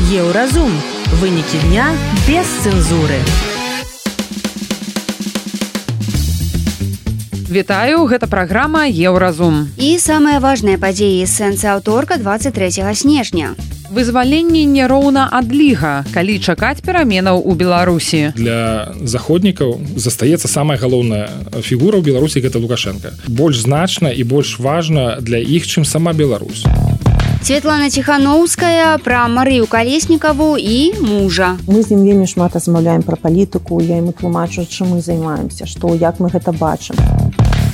Еўразум. Вынікі дня без цэнзуры. Вітаю, гэта праграма Еўразум. І самыя важныя падзеі з сэнсы аўторка 23 снежня. Вызваленне няроўна адліга, калі чакаць пераменаў у Беларусі. Для заходнікаў застаецца самая галоўная фігура ў Беларусі, гэта Лукашенко. Больш значна і больш важна для іх, чым сама Беларусь. Светлана Ціхановская пра Марыю Калеснікаву і мужа. Мы з ім вельмі шмат размаўляем пра палітыку, я яму тлумачу, чым мы займаемся, што, як мы гэта бачым.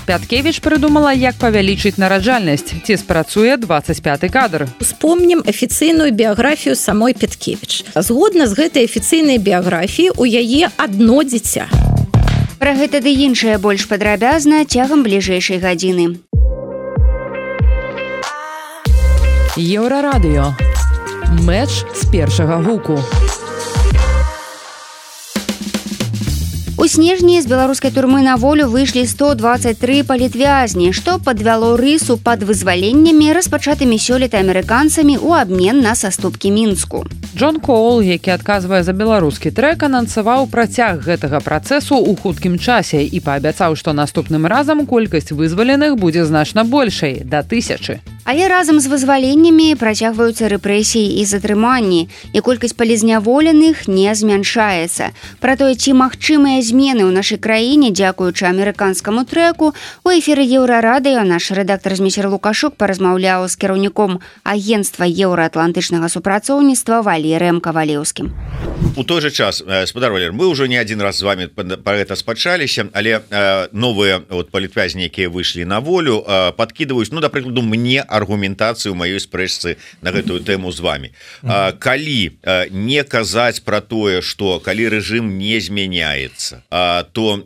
Пяткевіч прыдумала, як павялічыць нараджальнасць. Ці спрацуе 25-й кадр. Успомнім афіцыйную біяграфію самой Пяткевіч. Згодна з гэтай афіцыйнай біяграфіі, у яе адно дзіця. Пра гэта ды іншае больш падрабязна цягам бліжэйшай гадзіны. Еўрарадыё. Мэч з першага гуку. У снежні з беларускай турмы на волю выйшлі 123 палітвязні, што падвяло рысу пад вызваленнямі, распачатымі сёлета амерыканцамі ў абмен на саступкі Мінску. Джон Коул, які адказвае за беларускі трэк, анансаваў працяг гэтага працэсу ў хуткім часе і паабяцаў, што наступным разам колькасць вызваленых будзе значна большай, да 1000. Але разам з вызваленнямі працягваюцца рэпрэсіі і затрыманні, і колькасць палізняволеных не змяншаецца. Пра тое, ці магчымыя змены ў нашай краіне, дзякуючы амерыканскаму трэку, у эфіры Еўрарадыё наш рэдактар Змейсер Лукашук паразмаўляў з кіраўніком агенцтва еўраатлантычнага супрацоўніцтва Валерыем Кавалеўскім. У той же час, спадар Валер, мы ўжо не адзін раз з вами пра гэта спачаліся, але новыя палітвязні, якія выйшлі на волю, падкідваюць, да прыкладу, мне аргументацыю маёй спрэчцы на гэтую тэму з вами. Калі не казаць пра тое, што калі рэжым не змяняецца, то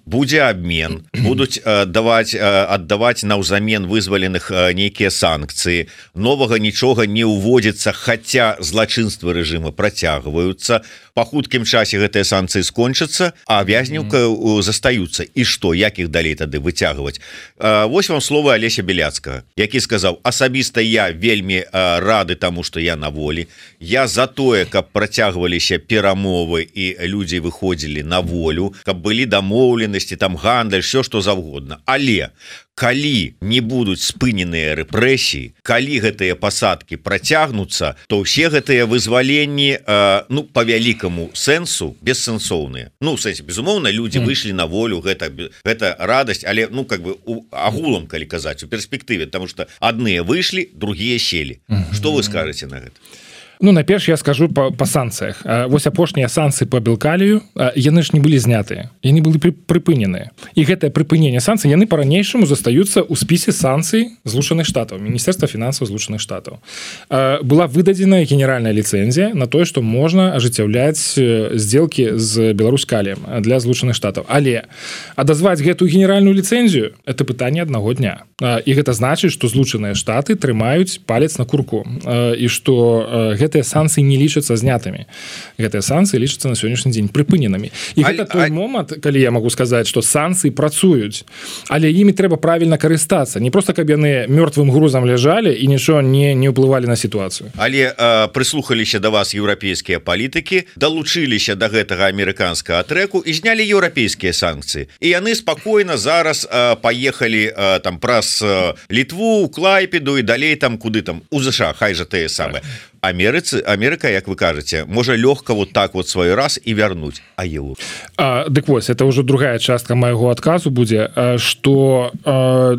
будзе абмен, будуць аддаваць наўзамен вызваленых нейкія санкцыі, новага нічога не ўводзіцца, хаця злачынствы рэжыма працягваюцца, па хуткім часе гэтыя санкцыі скончацца, а вязняў застаюцца. І што, як іх далей тады выцягваць? Вось вам словы Алеся Беляцкага, які сказаў: асабіста я вельмі рады таму, што я на волі, я за тое, каб працягваліся перамовы і людзі выходзілі на волю, каб былі дамоўленасці, там гандаль, все што заўгодна. Але калі не будуць спыненыя рэпрэсіі, калі гэтыя пасадкі працягнуцца, то ўсе гэтыя вызваленні, па вялікаму сэнсу бессэнсоўныя. У сэнсе, безумоўна, людзі выйшлі на волю, гэта радасць, але агулам, калі казаць, у перспектыве, потому что адныя выйшлі, другія селі. Што вы скажаце на гэта? Найперш я скажу па санкцыях. Вось апошнія санкцыі па Белкалію, яны ж не былі знятыя, яны былі прыпыненыя. І гэтае прыпыненне санкцый, яны па-ранейшаму застаюцца ў спісе санкцый Злучаных Штатаў, Міністэрства фінансаў Злучаных Штатаў. Была выдадзена генеральная ліцэнзія на тое, што можна ажыццяўляць здзелкі з Беларусь-Каліем для Злучаных Штатаў. Але адазваць гэтую генеральную ліцэнзію – это пытанне аднаго дня. І гэта значыць, што Злучаныя Штаты трымаюць палец на курку. І што гэтыя санкцыі не лічацца знятымі. Гэтыя санкцыі лічацца на сённяшні дзень прыпыненымі. І гэта той момант, калі я магу сказаць, што санкцыі працуюць, але імі трэба правільна карыстацца. Не проста, каб яны мёртвым грузам ляжалі і нічого не ўплывалі на сітуацыю. Але прыслухаліся да вас еўрапейскія палітыкі, далучыліся да гэтага амерыканскага трэку і знялі еўрапейскія санкцыі. І яны спакойна зараз паехалі там праз Літву, Клайпеду і далей там куды там у ЗША, хай жа тыя самыя. Америка, як вы кажаце, можа лёгка вот так вот свой раз і вярнуць. А Еўропу? Дык вось, это ўжо другая частка майго адказу будзе, што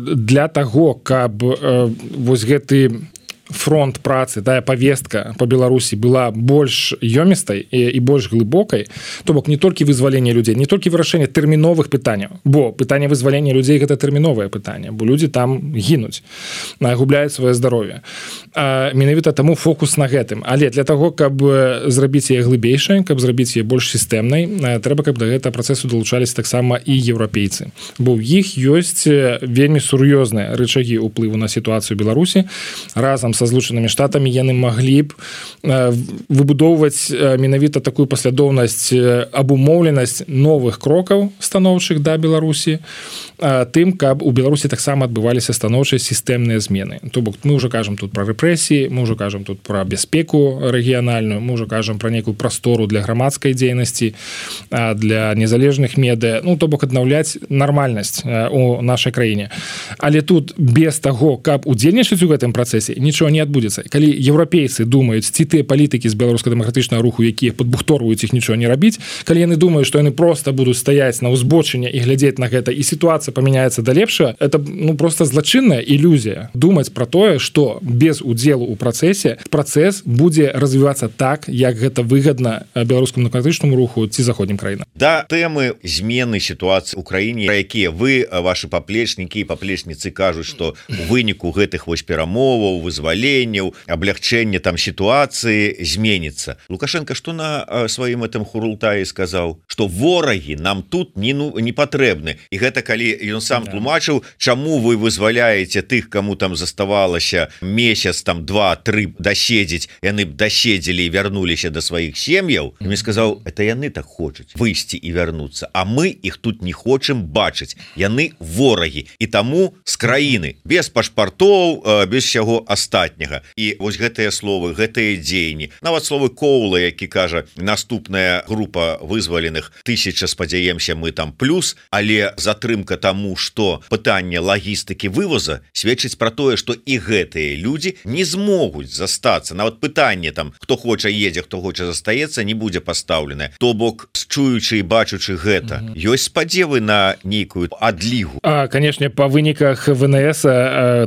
для таго, каб вось гэты фронт працы, тая повестка по Беларусі была больш ёмістай і больш глыбокай, то бок не толькі вызвалення людзей, не толькі вырашэнне тэрміновых пытанняў, бо пытанне вызвалення людзей гэта тэрміновае пытанне, бо людзі там гінуць, губляюць сваё здароўе. Менавіта таму фокус на гэтым. Але для таго, каб зрабіць яе глыбейшай, каб зрабіць яе больш сістэмнай, трэба, каб да гэтага працэсу далучаліся таксама і еўрапейцы. Бо ў іх ёсць вельмі сур'ёзныя рычагі ўплыву на сітуацыю Беларусі разам са Злучанымі Штатамі яны маглі б выбудоўваць менавіта такую паслядоўнасць, абумоўленасць новых крокаў станоўчых да Беларусі, тым, каб у Беларусі таксама адбываліся станоўчыя сістэмныя змены. То бок мы ўжо кажам тут пра рэпрэсіі, мы ўжо кажам тут пра бяспеку рэгіянальную, мы ўжо кажам пра некую прастору для грамадскай дзейнасці, для незалежных медыя, ну то бок аднаўляць нармальнасць у нашай краіне. Але тут без таго, каб удзельнічаць у гэтым працэсе, нічого не адбудзецца. Калі еўрапейцы думаюць, ці тыя палітыкі з беларуска-дэмакратычнага руху, якія падбухторваюць іх нічого не рабіць, калі яны думаюць, што яны проста будуць стаяць на ўзбочыне і глядзець на гэта, і сітуацыя памяняецца да лепшага, это просто злачынная ілюзія думаць пра тое, што без удзелу ў працэсе працэс будзе развівацца так, як гэта выгадна беларускаму дэмакратычнаму руху ці заходнім краінам. Да тэмы змены сітуацыі ў краіне, пра якія вы, вашы паплечнікі і паплечніцы кажуць, што у выніку гэтых вось перамоваў, вызваленняў, аблягчэння там сітуацыі зменіцца. Лукашенко што на сваім этом хурултаі сказаў, што ворагі нам тут не патрэбны. І гэта калі ён сам тлумачыў, чаму вы вызваляеце тых, каму там заставалася месяц, там 2-3 даседзець, яны б даседзелі і вярнуліся да сваіх сем'яў. Мне сказаў, это яны так хочуць выйсці і вярнуцца, а мы іх тут не хочам бачыць. Яны ворагі. І таму з краіны, без пашпартоў, без усяго астатняга. І вось гэтыя словы, гэтыя дзеянні. Нават словы Коула, які кажа, наступная група вызваленых 1000, спадзяемся, мы там плюс, але затрымка таму, што пытанне лагістыкі вывоза сведчыць пра тое, што і гэтыя людзі не змогуць застацца. Нават пытанне там, хто хоча едзе, хто хоча застаецца, не будзе пастаўленае. То бок, чуючы і бачучы гэта, ёсць спадзевы на нейкую адлігу. Канешне, па выніках ВНС,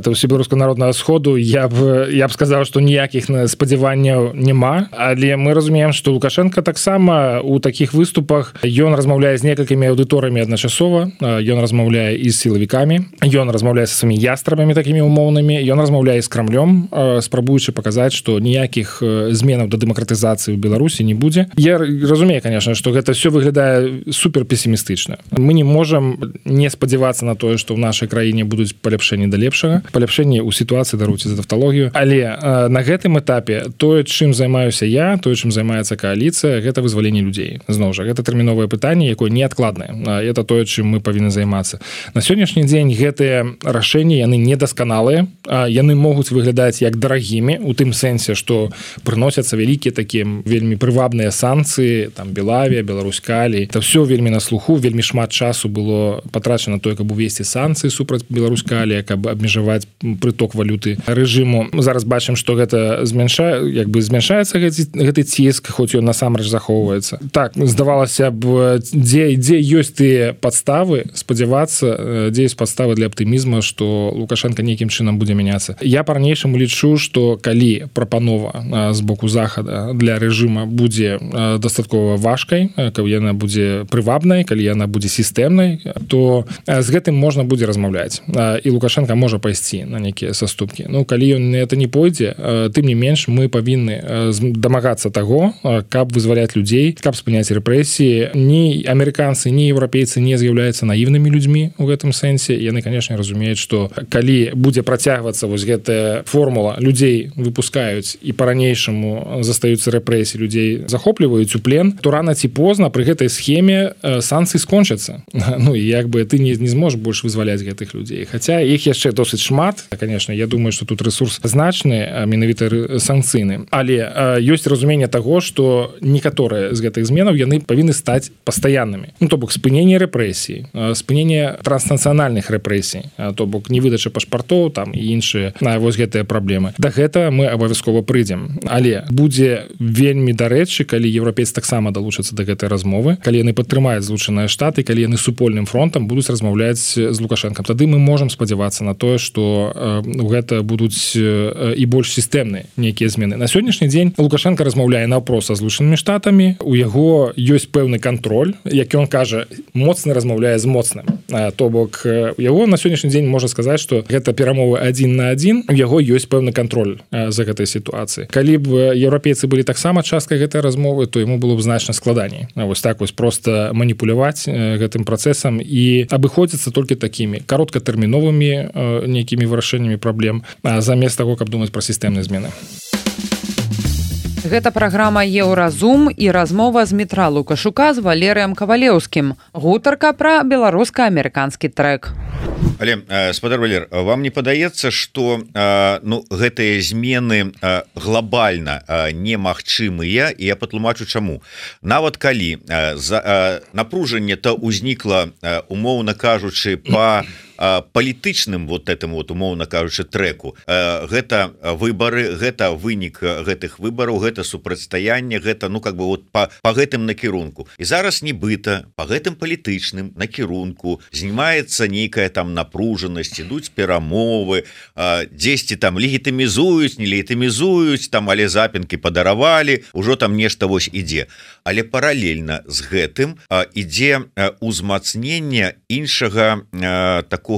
Всебеларускага народнага сходу, я б сказаў, што ніякіх спадзяванняў няма, але мы разумеем, што Лукашенко таксама у такіх выступах ён размаўляе з некалькімі аўдыторыямі адначасова, ён размаўляе і з сілавікамі, ён размаўляе са сваімі ястрабамі такімі умоўнымі, ён размаўляе з Крамлём, спрабуючы паказаць, што ніякіх зменаў да дэмакратызацыі ў Беларусі не будзе. Я разумею, конечно, што гэта все выглядае супер песімістычна. Мы не можам не спадзявацца на тое, што ў нашай краіне будуць паляпшэнні да лепшага, паляпшэнні ў сітуацыі, даруйце за тавталогію, але на гэтым этапе тое, чым займаюся я, тое, чым займаецца кааліцыя, гэта вызваленне людзей. Зноў жа, гэта тэрміновае пытанне, якое неадкладнае. Это тое, чым мы павінны займацца. На сённяшні дзень гэтыя рашэнні, яны недасканалыя, яны могуць выглядаць як дарагімі, у тым сэнсе, што прыносяцца вялікія такія вельмі прывабныя санкцыі, там Белавія, Беларусь-Калій. Это все вельмі на слуху, вельмі шмат часу было патрачана тое, каб увесці санкцыі супраць Беларусь-Калія, каб абмежаваць прыток валюты рэжыму. Мы зараз бачым, што гэта змяншаецца гэты ціск, хоць ён насамрэч захоўваецца. Так, здавалася б, дзе ёсць тыя падставы спадзявацца, дзе ёсць падставы для аптымізма, што Лукашенко нейкім чынам будзе мяняцца. Я па-ранейшаму лічу, што калі прапанова з боку захада для рэжыма будзе дастаткова важкай, калі яна будзе прывабнай, калі яна будзе сістэмнай, то з гэтым можна будзе размаўляць. І Лукашенко можа пайсці на нейкія саступкі. Ну, калі ён это не пойдзе, тым не менш мы павінны дамагацца таго, каб вызваляць людзей, каб спыняць рэпрэсіі. Ні амерыканцы, ні еўрапейцы не з'яўляюцца наіўнымі людзьмі у гэтым сэнсе. Яны, канешне, разумеюць, што калі будзе працягвацца вось гэтая формула, людзей выпускаюць і па-ранейшаму застаюцца рэпрэсіі, людзей захопліваюць у плен, то рана ці позна пры гэтай схеме санкцыі скончацца. Ну і як бы ты не зможаш больш вызваляць гэтых людзей. Хаця іх яшчэ досыць шмат. Канешне, я думаю, што тут рэсурс значны, менавіта санкцыйны. Але ёсць разуменне таго, што некаторыя з гэтых зменаў яны павінны стаць пастаяннымі. Ну, то бок спыненне рэпрэсій, спыненне транснацыянальных рэпрэсій, то бок невыдача пашпартоў там і іншыя вось гэтыя праблемы. Да гэта мы абавязкова прыйдзем. Але будзе вельмі дарэчы, калі еўрапейцы таксама далучацца да гэтай размовы, калі яны падтрымаюць Злучаныя Штаты, калі яны супольным фронтам будуць размаўляць з Лукашенком. Тады мы можам спадзявацца на тое, што гэта будуць і больш сістэмныя нейкія змены. На сённяшні дзень Лукашенко размаўляе наўпрост са Злучанымі Штатамі, у яго ёсць пэўны кантроль, як ён кажа, моцны размаўляе з моцным. То бок у яго на сённяшні дзень можна сказаць, што гэта перамовы 1 на 1, у яго ёсць пэўны кантроль за гэтай сітуацыі. Калі б еўрапейцы былі таксама часткай гэтай размовы, то яму было б значна складаней. Вось так вось проста маніпуляваць гэтым працэсам і абыходзіцца толькі такімі кароткатэрміновымі нейкімі вырашэннямі праблем, замест таго, каб думаць пра сістэмныя змены. Гэта праграма «Еўразум» і размова з Мітра Лукашука з Валерыем Кавалеўскім. Гутарка пра беларуска-амерыканскі трэк. Але, спадар Валер, вам не падаецца, што гэтыя змены глобальна немагчымыя, і я патлумачу чаму. Нават калі напружанне то ўзнікла, умоўна кажучы, па палітычным умоўна кажучы трэку, гэта выбары, гэта вынік гэтых выбараў, гэта супрацьстаянне, гэта па гэтым накірунку. І зараз нібыта па гэтым палітычным накірунку знімаецца нейкая там напружанасць, ідуць перамовы, дзесьці там легітымізуюць, не легітымізуюць, там але запінкі падаравалі, ужо там нешта вось ідзе. Але паралельна з гэтым ідзе узмацненне іншага такого,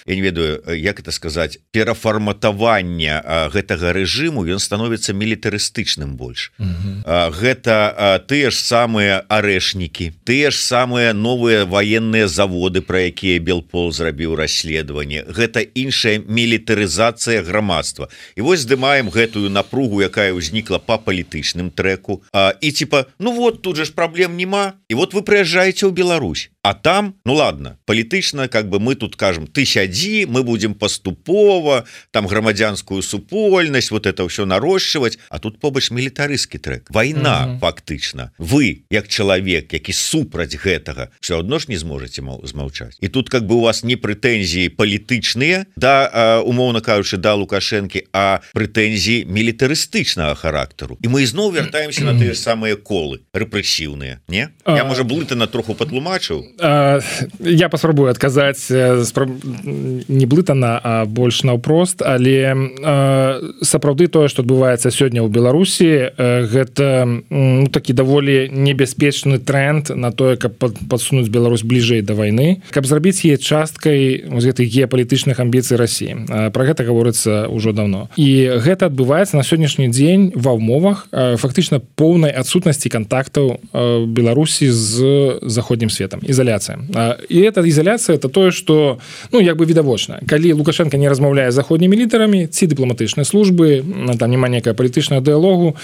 я не ведаю, як это сказаць, перафарматавання гэтага рэжыму, ён становіцца мілітарыстычным больш. Гэта тыя ж самыя арэшнікі, тыя ж самыя новыя ваенныя заводы, пра якія Белпол зрабіў расследаванне. Гэта іншая мілітарызацыя грамадства. І вось здымаем гэтую напругу, якая ўзнікла па палітычным трэку. І типа, тут же ж праблем нема. І вот вы прыязджаеце ў Беларусь. А там, ладно, палітычна, мы тут кажам, ты сядзі, мы будем паступова, там грамадзянскую супольнасць, вот это ўсё нарошчваць, а тут побач мілітарысцкі трэк. Вайна, фактычна. Вы, як чалавек, які супраць гэтага, все адно ж не зможаце змаўчаць. І тут у вас не прэтэнзіі палітычныя, умоўна кажучы, да Лукашэнкі, а прэтэнзіі мілітарыстычнага характару. І мы ізноў вяртаемся на тыя самыя колы, рэпрэсіўныя, не? Я, можа, блытана троху патлумачыў. Я паспрабую адказаць не блытана, а больш наўпрост, але сапраўды тое, што адбываецца сёння ў Беларусі, гэта такі даволі небяспечны тренд на тое, каб падсунуць Беларусь бліжэй да вайны, каб зрабіць яе часткай гэтых геапалітычных амбіцый Расіі. Пра гэта гаворыцца ўжо даўно. І гэта адбываецца на сённяшні дзень ва ўмовах фактычна поўнай адсутнасці кантактаў Беларусі з заходнім светам. Изоляция. И эта изоляция, это то, что, відавочна. Калі Лукашенко не размаўляе з заходнімі лідарамі, ці дыпламатычнай службы, там няма некая палітычная дыялогу,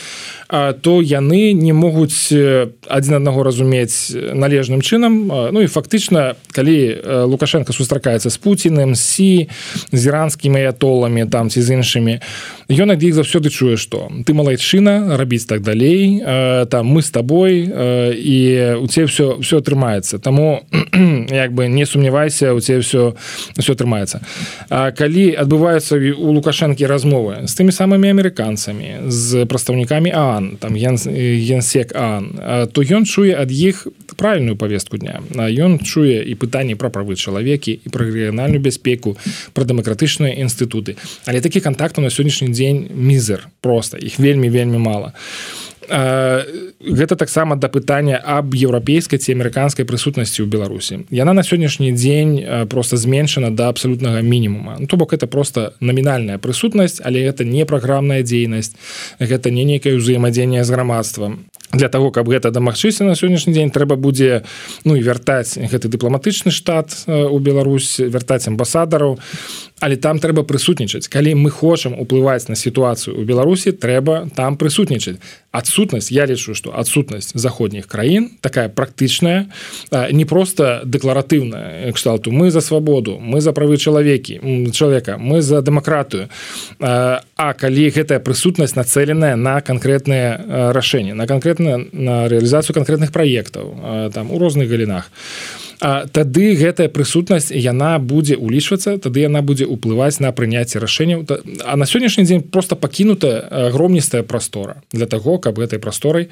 то яны не могуць адзін аднаго разумець належным чынам. І фактычна, калі Лукашенко сустракаецца з Пуціным, з Сі, з іранскімі аятоламі, там, ці з іншымі, ён ад іх заўсёды чуе, што ты малайчына, рабіць так далей, там, мы з табой, і у цябе все атрымаецца. Таму не сумнявайся, у цябе все атрымаецца. А калі адбываюцца у Лукашэнкі размовы з тымі самымі амерыканцамі, з прадстаўнікамі ААН, там генсек ААН, то ён чуе ад іх правільную повестку дня. Ён чуе і пытанні пра правы чалавекі, і пра рэгіянальную бяспеку, пра дэмакратычныя інстытуты. Але такі кантактаў на сённяшні дзень мізер, проста, іх вельмі мала. Гэта таксама да пытання аб еўрапейскай ці амерыканскай прысутнасці ў Беларусі. Яна на сённяшні дзень проста зменшана да абсалютнага мінімума. То бок это проста намінальная прысутнасць, але гэта не праграмная дзейнасць, гэта не нейкае ўзаемадзеянне з грамадствам. Для таго, каб гэта дамагчыся на сённяшні дзень, трэба будзе вяртаць гэты дыпламатычны штат у Беларусь, вяртаць амбасадараў, але там трэба прысутнічаць. Калі мы хочам уплываць на сітуацыю ў Беларусі, трэба там прысутнічаць. Адсутнасць, я лічу, што адсутнасць заходніх краін, такая практычная, не проста дэкларатыўная, кшталту мы за свабоду, мы за правы чалавека, мы за дэмакратыю. А калі гэтая прысутнасць нацэленая на канкрэтныя рашэнні, на рэалізацыю канкрэтных праектаў там у розных галінах, тады гэтая прысутнасць яна будзе улічвацца, тады яна будзе ўплываць на прыняцце рашэнняў. А на сённяшні дзень проста пакінута агромністая прастора для таго, каб гэтай прасторай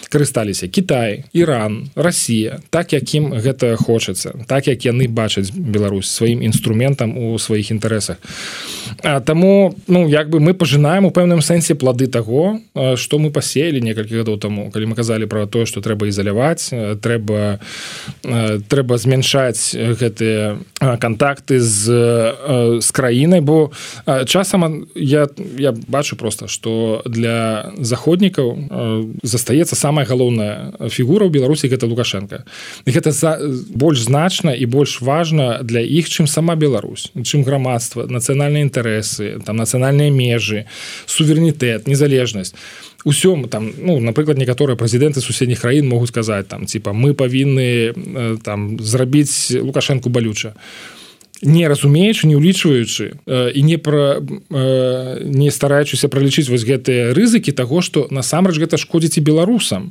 карысталіся Кітай, Іран, Расія, так якім гэта хочацца, так як яны бачаць Беларусь сваім інструментам у сваіх інтарэсах. Таму мы пажынаем у пэўным сэнсе плады таго, што мы пасеялі некалькі гадоў таму, калі мы казалі пра тое, што трэба ізаляваць, трэба трэба змяншаць гэтыя кантакты з краінай, бо часам я бачу просто, што для заходнікаў застаецца самая галоўная фігура ў Беларусі, гэта Лукашенко. І гэта больш значна і больш важна для іх, чым сама Беларусь, чым грамадства, нацыянальныя інтарэсы, там нацыянальныя межы, суверэнітэт, незалежнасць. Усём там, напрыклад, некаторыя прэзідэнты суседніх краін могуць сказаць там, типа, мы павінны там зрабіць Лукашенку балюча. Не разумеючы, не ўлічваючы і не стараючыся пралічыць вось гэтыя рызыкі таго, што насамрэч гэта шкодзіць і беларусам.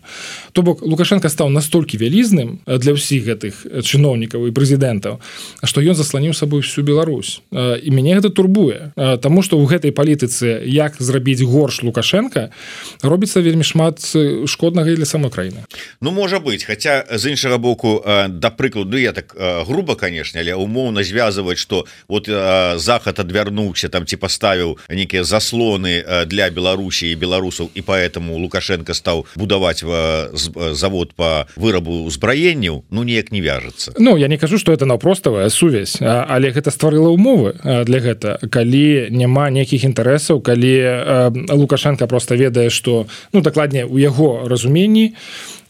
То бок Лукашенко стаў настолькі вялізным для ўсіх гэтых чыноўнікаў і прэзідэнтаў, што ён засланіў сабой всю Беларусь. І мяне гэта турбуе, таму што ў гэтай палітыцы як зрабіць горш Лукашенко робіцца вельмі шмат шкоднага і для самой краіны. Можа быць, хаця з іншага боку, да прыкладу, я так груба, канешне, але умоўна звязываць, что вот Захад адвярнуўся там ці паставіў нейкія заслоны для Беларусі і беларусаў, і поэтому Лукашенко стаў будаваць завод по вырабу ўзбраенняў, неяк не вяжацца. Я не кажу, что это наўпроставая сувязь, але гэта стварыла умовы для гэта. Калі няма нейкіх інтарэсаў, калі Лукашенко просто ведае, что, дакладней, у яго разуменні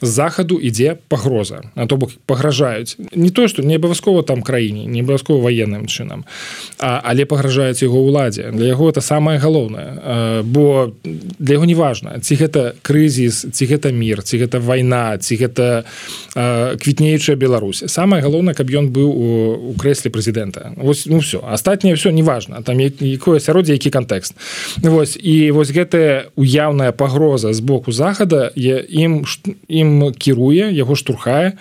з захаду ідзе пагроза, то бок пагражаюць не то, што не абавязкова там краіне, не абавязкова ваенным чынам, але пагражаюць яго ўладзе. Для яго это самае галоўнае, бо для яго не важна, ці гэта крызіс, ці гэта мір, ці гэта вайна, ці гэта квітнеючая Беларусь. Самае галоўнае, каб ён быў у крэсле прэзідэнта. Вось, все. Астатняе все не важна, там якое асяроддзе, які кантэкст. Вось, і вось гэтая уяўная пагроза з боку захада ім кіруе, яго штурхае.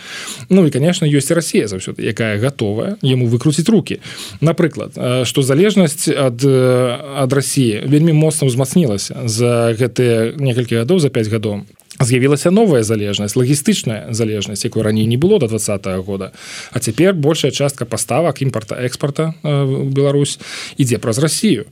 І, конечно, ёсць Расія заўсёды, якая гатовая яму выкруціць рукі. Напрыклад, што залежнасць ад Расіі вельмі моцна ўзмацнілася за гэтыя некалькі гадоў, за 5 гадоў. З'явілася новая залежнасць, лагістычная залежнасць, якой раней не было до 2020 года. А цяпер большая частка паставак імпарта-экспарта ў Беларусь ідзе праз Расію.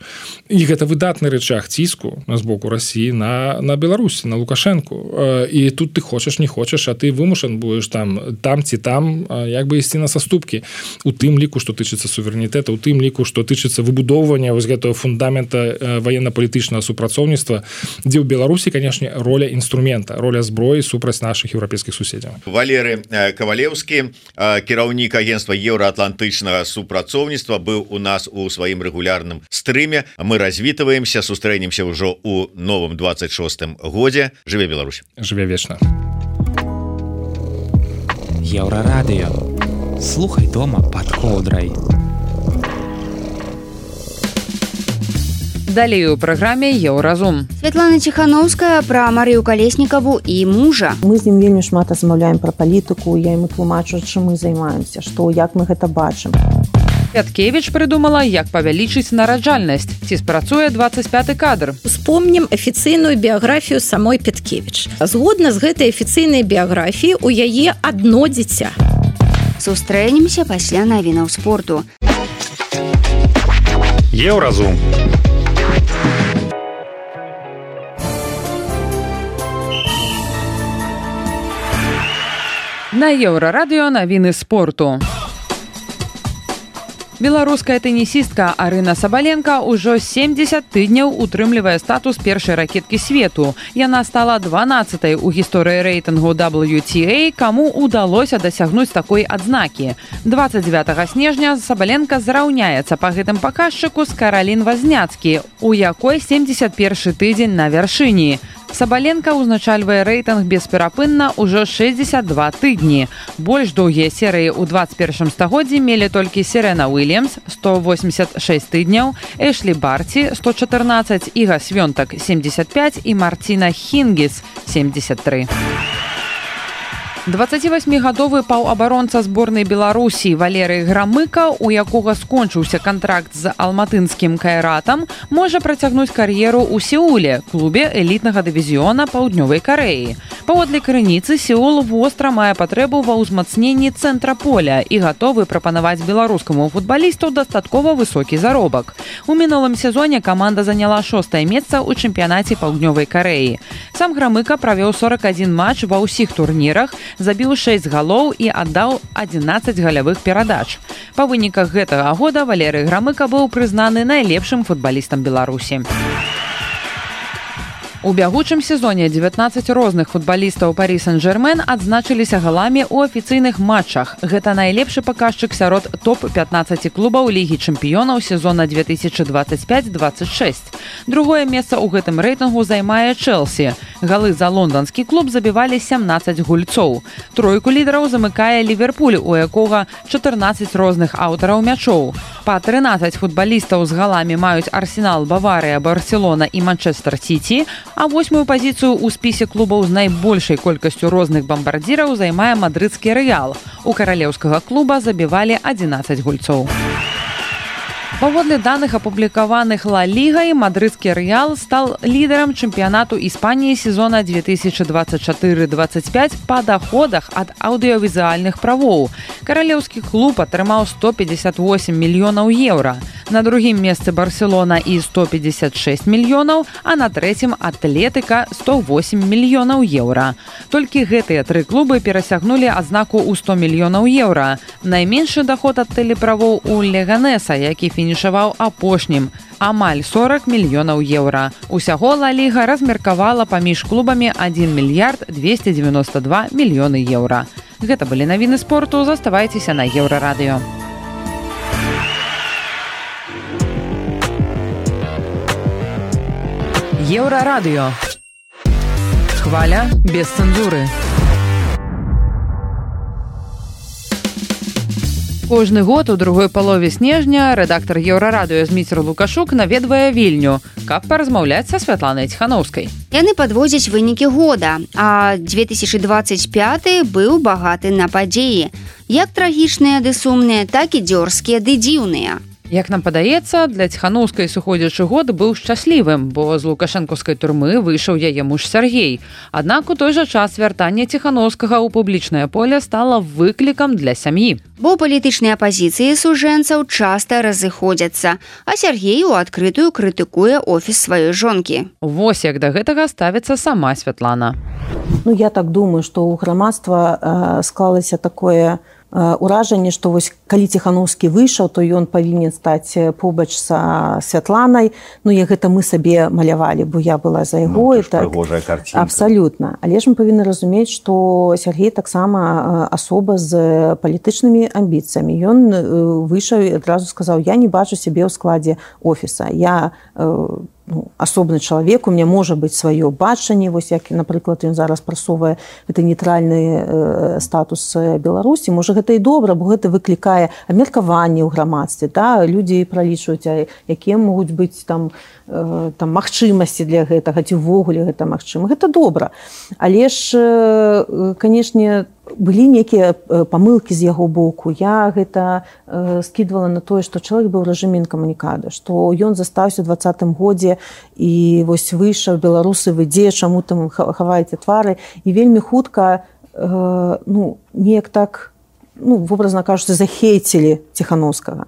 І гэта выдатны рычаг ціску з боку Расіі на Беларусь, на Лукашенку. І тут ты хочаш, не хочаш, а ты вымушан будеш там ці там як бы ісці на саступкі. У тым ліку, што тычыцца суверэнітэта, у тым ліку, што тычыцца выбудоўвання вось гэтага фундамента ваенна-палітычнага супрацоўніцтва, дзе ў Беларусі, канешне, роля інструмента, роля зброі супраць нашых еўрапейскіх суседзяў. Валерый Кавалеўскі, кіраўнік агенцтва еўраатлантычнага супрацоўніцтва, быў у нас у сваім рэгулярным стрыме. Мы развітваемся, сустрэнемся ўжо ў новым 26-м годзе. Жыве Беларусь. Жыве вечна. Еўрарадыё. Слухай дома пад коўдрай. Далей у праграме Еўразум. Святлана Ціхановская пра Марыю Калеснікаву і мужа. Мы з ім вельмі шмат размаўляем пра палітыку, я яму тлумачу, чым мы займаемся, што, як мы гэта бачым. Пяткевіч прыдумала, як павялічыць нараджальнасць. Ці спрацуе 25-й кадр. Успомнім афіцыйную біяграфію самой Пяткевіч. Згодна з гэтай афіцыйнай біяграфіі, у яе адно дзіця. Сустрэнемся пасля навінаў спорту. Еўразум. На Еўрарадыё навіны спорту. Беларуская тэнісістка Арына Сабаленка ўжо 70 тыдняў утрымлівае статус першай ракеткі свету. Яна стала 12-й у гісторыі рэйтынгу WTA, каму удалося дасягнуць такой адзнакі. 29 снежня Сабаленка зраўняецца па гэтым паказчыку з Каралін Вазняцкі, у якой 71 тыдзень на вяршыні. Сабаленка ўзначальвае рэйтынг бесперапынна ўжо 62 тыдні. Больш доўгія серыі ў 21 стагоддзі мелі толькі Серена Уильямс 186 тыдняў, Эшлі Барці 114, Іга Свёнтак 75 і Марціна Хінгіс 73. 28-гадовы паўабаронца зборнай Беларусі Валерый Грамыка, у якога скончыўся кантракт з алматынскім Кайратам, можа працягнуць кар'еру ў Сеуле, клубе элітнага дывізіёна Паўднёвай Карэі. Паводле крыніцы Сеул востра мае патрэбу ва ўзмацненні цэнтра поля і гатовы прапанаваць беларускаму футбалісту дастаткова высокі заробак. У мінулым сезоне каманда заняла 6-е месца ў чэмпіянаце Паўднёвай Карэі. Сам Грамыка правёў 41 матч ва ўсіх турнірах, забіў 6 галоў і аддаў 11 галявых перадач. Па выніках гэтага года Валерый Грамыка быў прызнаны найлепшым футбалістам Беларусі. У бягучым сезоне 19 розных футбалістаў Парі Сен-Жермен адзначыліся галамі ў афіцыйных матчах. Гэта найлепшы паказчык сярод топ-15 клубаў Лігі чэмпіёнаў сезона 2025-26. Другое месца ў гэтым рэйтынгу займае Чэлсі. Галы за лонданскі клуб забівалі 17 гульцоў. Тройку лідараў замыкае Ліверпуль, у якога 14 розных аўтараў мячоў. Па 13 футбалістаў з галамі маюць Арсенал, Баварыя, Барселона і Манчестер Сіці, а 8-ю пазіцыю ў спісе клубаў з найбольшай колькасцю розных бамбардзіраў займае мадрыдскі Рэал. У каралеўскага клуба забівалі 11 гульцоў. Паводле даных, апублікаваных Ла Лігай, мадрыдскі Рэал стал лідарам чэмпіянату Іспаніі сезона 2024-25 па даходах ад аўдыёвізуальных правоў. Каралеўскі клуб атрымаў 158 мільёнаў еўра. На другім месцы Барселона і 156 мільёнаў, а на трэцім Атлетыка 108 мільёнаў еўра. Толькі гэтыя тры клубы перасягнулі адзнаку ў 100 мільёнаў еўра. Найменшы даход ад тэлеправоў у Леганеса, які фінішаваў апошнім, амаль 40 мільёнаў еўра. Усяго Ла Ліга размеркавала паміж клубамі 1 мільярд 292 мільёны еўра. Гэта былі навіны спорту, заставайцеся на Еўрарадыё. Еўрарадыё. Хваля без цэнзуры. Кожны год у другой палове снежня рэдактар Еўрарадыё Зміцер Лукашук наведвае Вільню, каб паразмаўляць са Святланай Ціханаўскай. Яны падводзяць вынікі года, а 2025 быў багаты на падзеі. Як трагічныя ды сумныя, так і дзёрзкія ды дзіўныя. Як нам падаецца, для Ціханаўскай сыходзячы год быў шчаслівым, бо з лукашэнкаўскай турмы выйшаў яе муж Сяргей. Аднак у той жа час вяртанне Ціханаўскага ў публічнае поле стала выклікам для сям'і. Бо палітычныя пазіцыі сужэнцаў часта разыходзяцца, а Сяргей у адкрытую крытыкуе офіс сваёй жонкі. Вось як да гэтага ставіцца сама Святлана. Я так думаю, што ў грамадства склалася такое уражанне, што вось калі Ціханаўскі выйшаў, то ён павінен стаць побач са Святланай. Гэта мы сабе малявалі, бо я была за яго. Прыгожая карцінка. Абсалютна. Але ж мы павінны разумець, што Сяргей таксама асоба з палітычнымі амбіцыямі. Ён выйшаў і адразу сказаў: я не бачу сябе ў складзе офіса. Я асобны чалавек, у меня можа быць сваё бачанне, вось як, напрыклад, ён зараз прасоўвае гэты нейтральны статус Беларусі. Можа, гэта і добра, бо гэта выклікае абмеркаванне ў грамадстве. Людзі пралічваюць, якія могуць быць там магчымасці для гэтага, ці ўвогуле гэта магчыма. Гэта добра. Але ж, канешне, былі некія памылкі з яго боку. Я гэта скідвала на тое, што чалавек быў у рэжыме інкамунікада, што ён застаўся ў 2020 годзе і вось выйшаў: беларусы, вы дзе, чаму там хаваеце твары? І вельмі хутка неяк так, вобразна кажучы, захейцілі Ціханаўскага.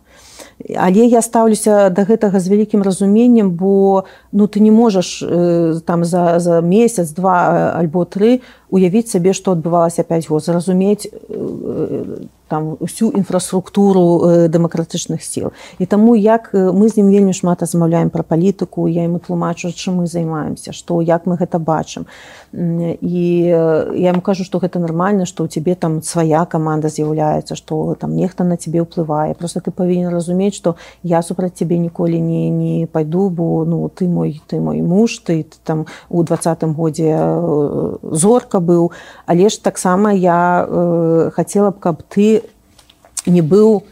Але я стаўлюся да гэтага з вялікім разуменнем, бо ты не можаш там за месяц, 2 альбо 3 уявіць сабе, што адбывалася 5 год, зразумець там усю інфраструктуру дэмакратычных сіл. І таму, як мы з ім вельмі шмат размаўляем пра палітыку, я яму тлумачу, чым мы займаемся, як мы гэта бачым. І я яму кажу, што гэта нармальна, што ў цябе там свая каманда з'яўляецца, што там нехта на цябе ўплывае. Проста ты павінен разумець, што я супраць цябе ніколі не пайду, бо ты мой муж, ты там у 2020 годзе зорка быў. Але ж таксама я хацела б, каб ты не быў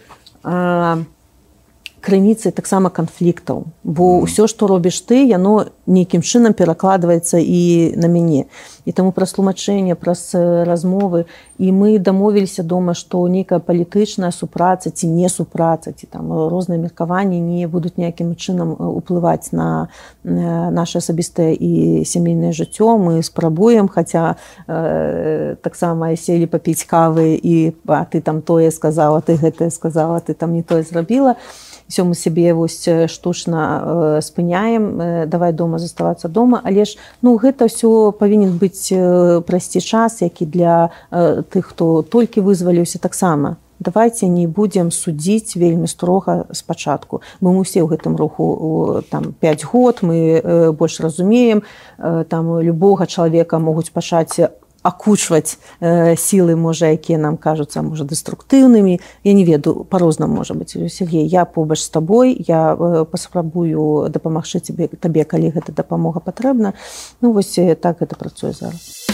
крыніцай таксама канфліктаў, бо ўсё, што робіш ты, яно нейкім чынам перакладваецца і на мяне. І таму праз тлумачэнне, праз размовы, і мы дамовіліся дома, што нейкая палітычная супраца ці не супраца, ці там розныя меркаванні не будуць ніякім чынам уплываць на наше асабістае і сямейнае жыццё. Мы спрабуем, хаця таксама селі папіць кавы і ты там тое сказала, ты гэтае сказала, ты там не тое зрабіла. Все мы сябе вось штучна спыняем, давай дома заставацца дома, але ж гэта ўсё павінен быць прайсці час, які для тых, хто толькі вызваліўся таксама. Давайте не будзем судзіць вельмі строга спачатку. Мы усе ў гэтым руху там 5 год, мы больш разумеем, там любога чалавека могуць пачаць акучваць сілы, можа, якія нам кажуцца, можа, дэструктыўнымі. Я не ведаю, па-рознаму можа быць. Сергей, я побач з табой, я паспрабую дапамагчы табе, калі гэта дапамога патрэбна. Вось так гэта працуе зараз.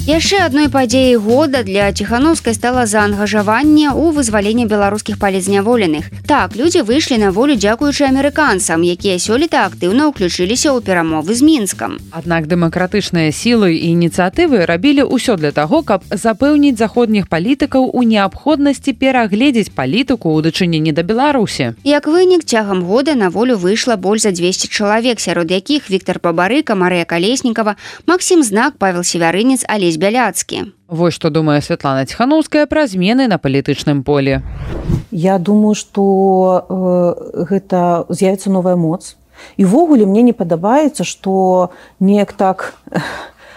Яшчэ адной падзеяй года для Ціханаўскай стала заангажаванне ў вызваленне беларускіх палізняволеных. Так, людзі выйшлі на волю дзякуючы амерыканцам, якія сёлета актыўна ўключыліся ў перамовы з Мінскам. Аднак дэмакратычныя сілы і ініцыятывы рабілі ўсё для таго, каб запэўніць заходніх палітыкаў у неабходнасці перагледзець палітыку ў дачыненні да Беларусі. Як вынік, цягам года на волю выйшла больш за 200 чалавек, сярод якіх Віктор Бабарыка, Марыя Калеснікава, Максім Знак, Павел Севярынец, Алесь Бяляцкі. Вось што думае Святлана Ціханаўская пра змены на палітычным полі. Я думаю, што гэта з'явіцца новая моц. І ўвогуле мне не падабаецца, што неяк так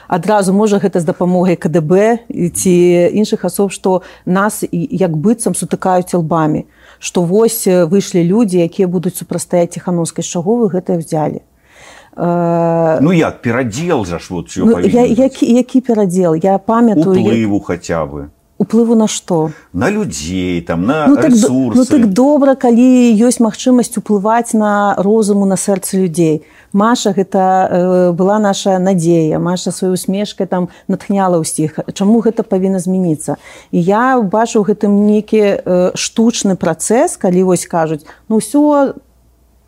адразу, можа, гэта з дапамогай КДБ ці іншых асоб, што нас як быццам сутыкаюць лбамі, што вось выйшлі людзі, якія будуць супрацьстаяць Ціханаўскай. З чаго вы гэта ўзялі? Як перадзел жа ж вот всё павінен. Які перадзел? Я памятаю... Уплыву хаця бы. Уплыву на што? На людзей, там, на ресурсы. Так добра, калі ёсць магчымасць уплываць на розуму, на сэрцы людзей. Маша, гэта была наша надзея. Маша сваёй усмешкай там натхняла ўсіх. Чаму гэта павінна змяніцца? І я бачу ў гэтым нейкі штучны працэс, калі вось кажуць, ўсё,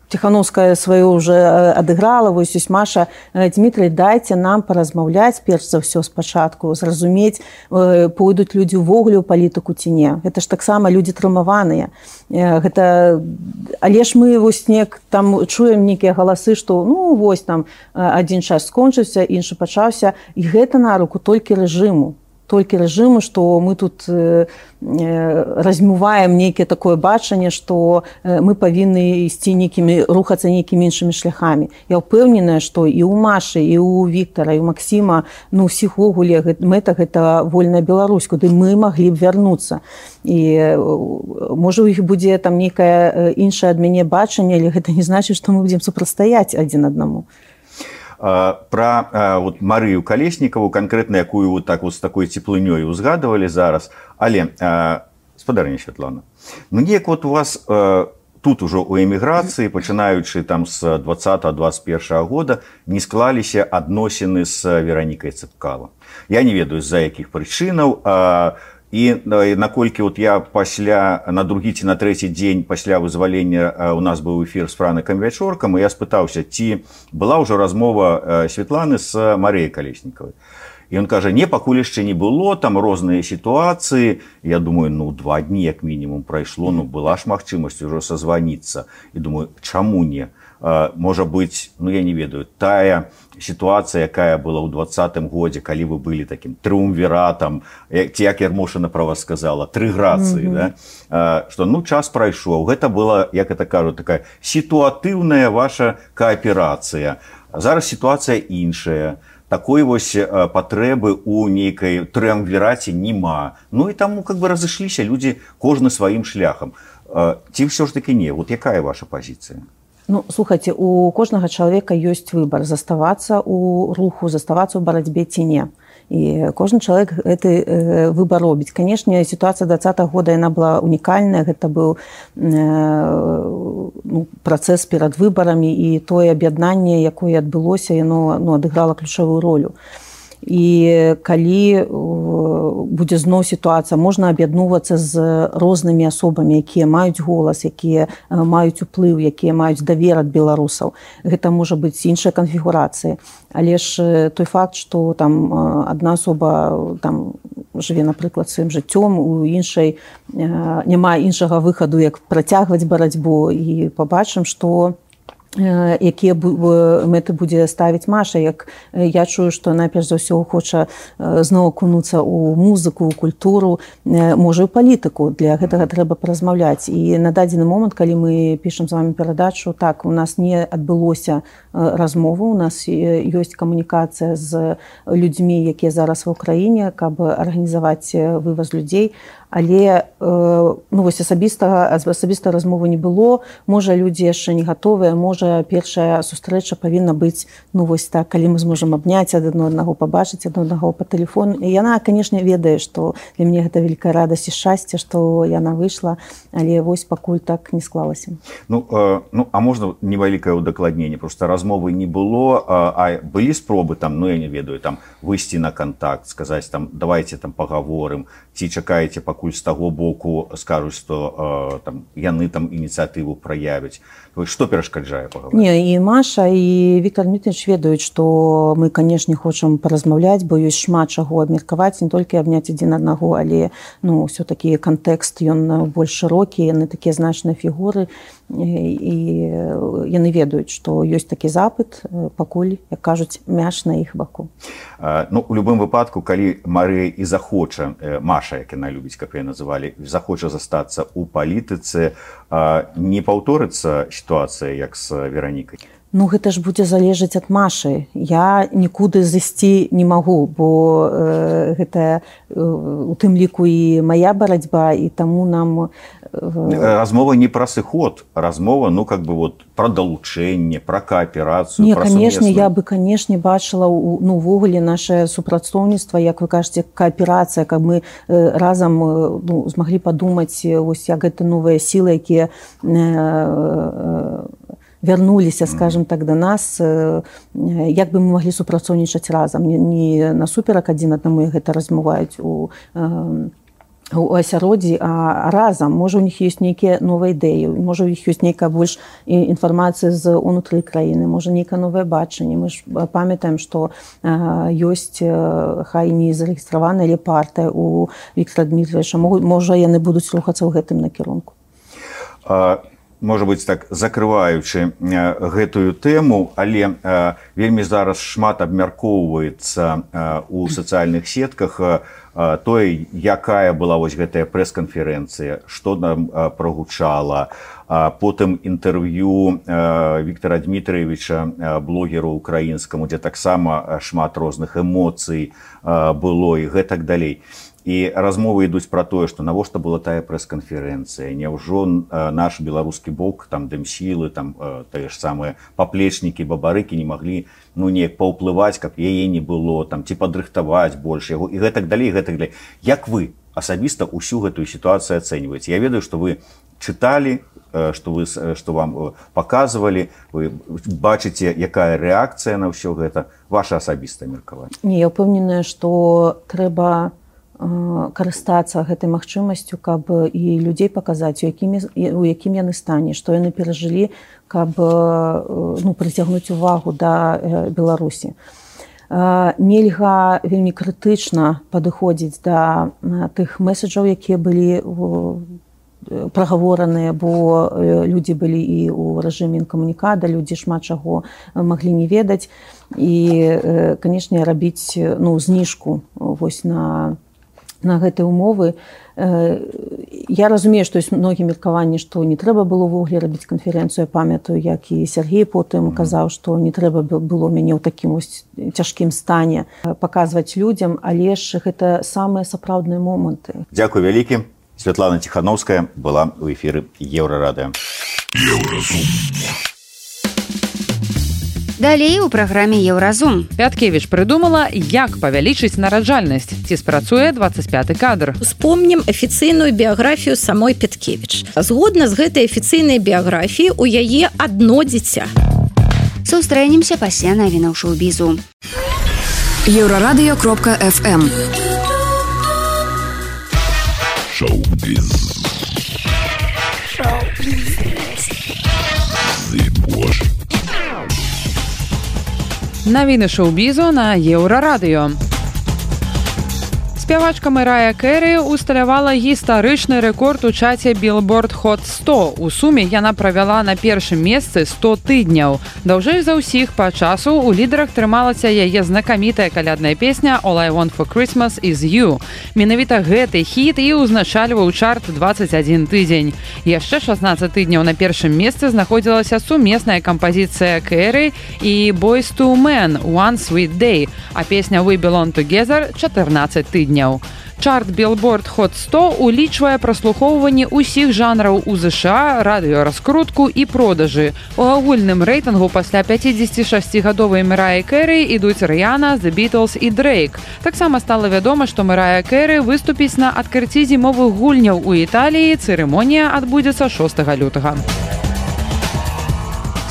Ціханаўская сваё ўжо адыграла, вось Маша, Дмітрый, дайце нам паразмаўляць перш за ўсё спачатку, зразумець, пойдуць людзі ўвогуле ў палітыку ці не. Гэта ж таксама людзі трымаваныя. Але ж мы вось там чуем нейкія галасы, што вось там адзін час скончыўся, іншы пачаўся, і гэта на руку толькі рэжыму. Што мы тут размываем нейкае такое бачанне, што мы павінны ісці рухацца нейкімі іншымі шляхамі. Я ўпэўненая, што і ў Машы, і ў Віктара, і ў Максіма, ўсіх вогуле мэта гэта вольная Беларусь, куды мы маглі б вярнуцца. І можа у іх будзе там нейкае іншае ад мяне бачанне, але гэта не значыць, што мы будзем супрацьстаяць адзін аднаму. Пра Марыю Калеснікаву, канкрэтна якую вот так вот з такой цеплынёй узгадывалі зараз. Але, спадарыня Святлана, неяк вот у вас тут ужо у эміграцыі, пачынаючы там з 20-21 года, не склаліся адносіны з Веранікай Цыпкала. Я не ведаю, з-за якіх прычынаў, і наколькі вот я на другі ці на трэці дзень пасля вызвалення у нас быў эфір з Франыкам Вячоркам, і я спытаўся, ці была ўжо размова Святланы з Марыяй Калеснікавай. І ён кажа, не, пакуль яшчэ не было, там розныя сітуацыі. Я думаю, 2 дні як мінімум прайшло, была ж магчымасць ужо сазваніцца. І думаю, чаму не? Можа быць, я не ведаю, тая сітуацыя, якая была ў 20-м годзе, калі вы былі такім трыумвіратам, ці як Ярмошына пра вас сказала, трыграцыі, што час прайшоў. Гэта была, як это кажу, такая сітуатыўная ваша кааперацыя. Зараз сітуацыя іншая. Такой вось патрэбы ў нейкай трыумвіраце няма. І таму разышліся людзі кожны сваім шляхам. Ці ўсё ж такі не? Вот якая ваша пазіцыя? Слухайце, у кожнага чалавека ёсць выбар заставацца ў руху, заставацца ў барацьбе ці не. І кожны чалавек гэты выбар робіць. Канешне, сітуацыя 20-го года яна была унікальная, гэта быў працэс перад выбарамі, і тое аб'яднанне, якое адбылося, яно адыграла ключавую ролю. і калі будзе зноў сітуацыя, можна аб'ядноўвацца з рознымі асобамі, якія маюць голас, якія маюць уплыў, якія маюць давер ад беларусаў. Гэта можа быць іншая канфігурацыя. Але ж той факт, што там адна асоба там жыве, напрыклад, сваім жыццём, у іншай няма іншага выхаду, як працягваць барацьбу, і пабачым, што якія мэты будзе ставіць Маша. Як я чую, што найперш за ўсё хоча зноў акунуцца ў музыку, ў культуру, можа, і палітыку. Для гэтага трэба паразмаўляць. І на дадзены момант, калі мы пішам з вами перадачу, так, у нас не адбылося размову, у нас ёсць камунікацыя з людзьмі, якія зараз ва ўкраіне, каб арганізаваць вываз людзей. Але вось асабістага размовы не было. Можа, людзі яшчэ не гатовыя, можа, першая сустрэча павінна быць, вось так, калі мы зможам абняць адно аднаго, пабачыць адно аднаго па тэлефону. І яна, канешне, ведае, што для мяне гэта вялікая радасць і шчасце, што яна выйшла, але вось пакуль так не склалася. А можна невялікае ўдакладненне? Проста размовы не было, а былі спробы там, я не ведаю, там выйсці на кантакт, сказаць там, давайте там пагаворым, ці чакаеце, пакуль з таго боку скажуць, што яны там ініцыятыву праявяць. Што перашкаджае пагаворыць? Не, і Маша, і Віктор Дмітрович ведаюць, што мы, канешне, хочам паразмаўляць, бо ёсць шмат чаго абмеркаваць, не толькі абняць адзін аднаго, але ўсё-такі кантэкст, ён больш шырокі, яны такія значныя фігуры, і яны ведаюць, што ёсць такі запыт, пакуль, як кажуць, мяч на іх баку. У любым выпадку, калі Марыя і захоча, Маша, як яна любіць, каб яе называлі, захоча застацца ў палітыцы, не паўторыцца сітуацыя, як з Веранікай? Гэта ж будзе залежаць ад Машы. Я нікуды зайсці не магу, бо гэта у тым ліку і мая барацьба, і таму нам... Размова не пра сыход, размова, пра далучэнне, пра кааперацыю, пра сумесную. Не, канешне, я бы, канешне, бачыла увогуле наше супрацоўніцтва, як вы кажаце, кааперацыя, каб мы разам змаглі падумаць, як гэта новыя сілы, якія вярнуліся, скажем так, да нас, як бы мы маглі супрацоўнічаць разам, не насуперак адзін аднаму, як гэта размаўляюць у асяроддзі, а разам. Можа, у них ёсць нейкія новыя ідэі, можа, у іх ёсць нейкая больш інфармацыя з унутры краіны, можа, нейкае новае бачанне. Мы ж памятаем, што ёсць, хай не зарэгістраваная, але партыя у Віктора Дмітровича. Можа, яны будуць рухацца ў гэтым накірунку. Можа быць, так, закрываючы гэтую тэму, але вельмі зараз шмат абмяркоўваецца ў сацыяльных сетках тое, якая была вось гэтая прэс-канферэнцыя, што нам прагучала, потым інтэрв'ю Віктора Дмітровича, блогеру украінскаму, дзе таксама шмат розных эмоцый было і гэтак далей. І размовы ідуць пра тое, што навошта была тая прэс-канферэнцыя, няўжо наш беларускі бок, там дэмсілы, там тыя ж самыя паплечнікі, бабарыкі не маглі неяк паўплываць, каб яе не было, там ці падрыхтаваць больш яго і гэтак далей, гэтак далей. Як вы асабіста ўсю гэтую сітуацыю ацэньваеце? Я ведаю, што вы чыталі, што вам паказвалі, вы бачыце, якая рэакцыя на ўсё гэта, ваша асабістае меркаванне? Не, я ўпэўненая, што трэба карыстацца гэтай магчымасцю, каб і людзей паказаць, у якім яны стане, што яны перажылі, каб прыцягнуць увагу да Беларусі. Нельга вельмі крытычна падыходзіць да тых месаджаў, якія былі прагавораныя, бо людзі былі і ў рэжыме інкамунікада, людзі шмат чаго маглі не ведаць. І, канешне, рабіць зніжку вось на гэтыя умовы. Я разумею, што ёсць многія меркаванні, што не трэба было ўвогуле рабіць канферэнцыю. Я памятаю, як і Сергей потым казаў, што не трэба было мяне ў такім цяжкім стане паказваць людзям, але ж гэта самыя сапраўдныя моманты. Дзякуй вялікі. Святлана Ціхановская была ў эфіры Еўрарадыё. Далей у праграме Еўразум. Пяткевіч прыдумала, як павялічыць нараджальнасць. Ці спрацуе 25-й кадр. Успомнім афіцыйную біяграфію самой Пяткевіч. Згодна з гэтай афіцыйнай біяграфіі, у яе адно дзіця. Сустрэнемся пасля навінаў шоу-бізу. Еврорадио.FM. Шоу-биз. Навіны шоу-бізу на Еўрарадыё. Спявачка Мэрая Кэры усталявала гістарычны рэкорд у чаце Billboard Hot 100. У суме яна правяла на першым месцы 100 тыдняў. Даўжэй за ўсіх па часу у лідарах трымалася яе знакамітая калядная песня «All I Want for Christmas is You». Менавіта гэты хіт і ўзначальваў чарт 21 тыдзень. Яшчэ 16 тыдняў на першым месцы знаходзілася сумесная кампазіцыя Кэры і Boyz II Men «One Sweet Day», а песня «We Belong Together» 14 тыдняў. Чарт Billboard Hot 100 улічвае праслухоўванне ўсіх жанраў у ЗША, радыёраскрутку і продажы. У агульным рэйтынгу пасля 56-гадовай Мэрайі Кэры ідуць Рыяна, The Beatles і Дрейк. Таксама стала вядома, што Мэрая Кэры выступіць на адкрыцці зімовых гульняў у Італіі. Цырымонія адбудзецца 6 лютага.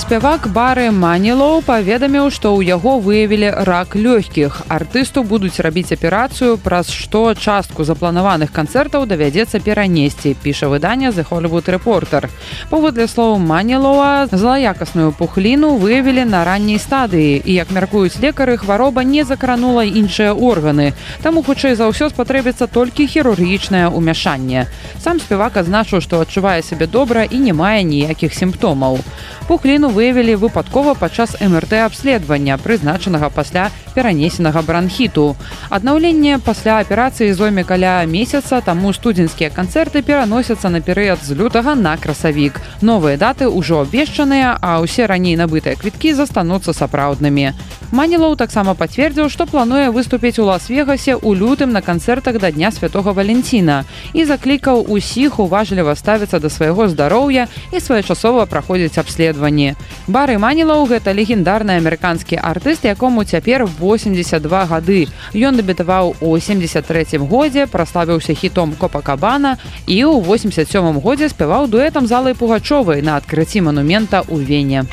Спявак Бары Манілоў паведаміў, што ў яго выявілі рак лёгкіх. Артысту будуць рабіць аперацыю, праз што частку запланаваных канцэртаў давядзецца перанесці, піша выданне The Hollywood Reporter. Паводле слоў Манілова, злаякасную пухліну выявілі на ранняй стадыі, і, як мяркуюць лекары, хвароба не закранула іншыя органы. Таму, хутчэй за ўсё, спатрэбіцца толькі хірургічнае ўмяшанне. Сам спявак адзначыў, што адчувае сябе добра і не мае ніякіх сімптомаў. Пухліну выявілі выпадкова падчас МРТ-абследавання, прызначанага пасля перанесенага бранхіту. Аднаўленне пасля аперацыі зойме каля месяца, таму студзеньскія канцэрты пераносяцца на перыяд з лютага на красавік. Новыя даты ўжо абвешчаныя, а ўсе раней набытыя квіткі застануцца сапраўднымі. Манілоў таксама пацвердзіў, што плануе выступіць у Лас-Вегасе ў лютым на канцэртах да Дня Святога Валенціна і заклікаў усіх уважліва ставіцца да свайго здароўя і своечасова праходзіць абследаванні. Бары Манілоў – гэта легендарны амерыканскі артыст, якому цяпер 82 гады. Ён дэбютаваў у 73-м годзе, праславіўся хітом «Копакабана» і ў 87-м годзе спяваў дуэтам з Аллай Пугачовай на адкрыцці манумента ў Вене.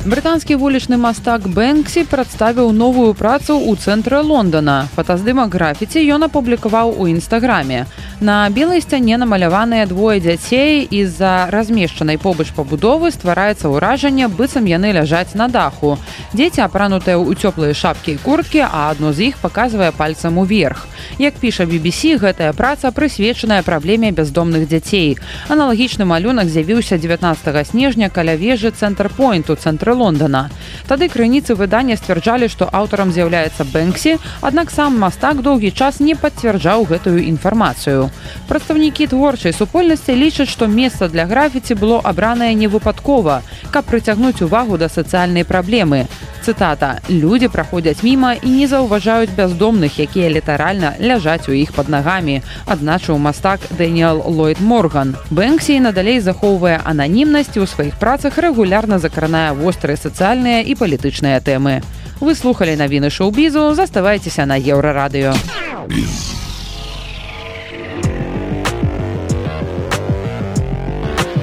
Брытанскі вулічны мастак Бэнксі прадставіў новую працу ў цэнтры Лондона. Фотаздымак графіці ён апублікаваў у Інстаграме. На белай сцяне намаляваныя двое дзяцей, і з-за размешчанай побач пабудовы ствараецца ўражанне, быццам яны ляжаць на даху. Дзеці апранутыя ў цёплыя шапкі і курткі, а адно з іх паказвае пальцам уверх. Як піша BBC, гэтая праца прысвечаная праблеме бяздомных дзяцей. Аналагічны малюнак з'явіўся 19 снежня каля вежы Цэнтр-Пойнт у цэнтры Лондона. Тады крыніцы выдання сцвярджалі, што аўтарам з'яўляецца Бэнксі, аднак сам мастак доўгі час не пацвярджаў гэтую інфармацыю. Прадстаўнікі творчай супольнасці лічаць, што месца для графіці было абранае невыпадкова, каб прыцягнуць увагу да сацыяльнай праблемы. Цытата: «Людзі праходзяць міма і не заўважаюць бяздомных, якія літаральна ляжаць у іх пад нагамі», адзначыў мастак Дэніэл Ллойд Морган. Бэнксі надалей захоўвае ананімнасць і ў сваіх працах рэгулярна закранае вострыя сацыяльныя і палітычныя тэмы. Вы слухалі навіны шоу-бізу, заставайцеся на Еўрарадыё.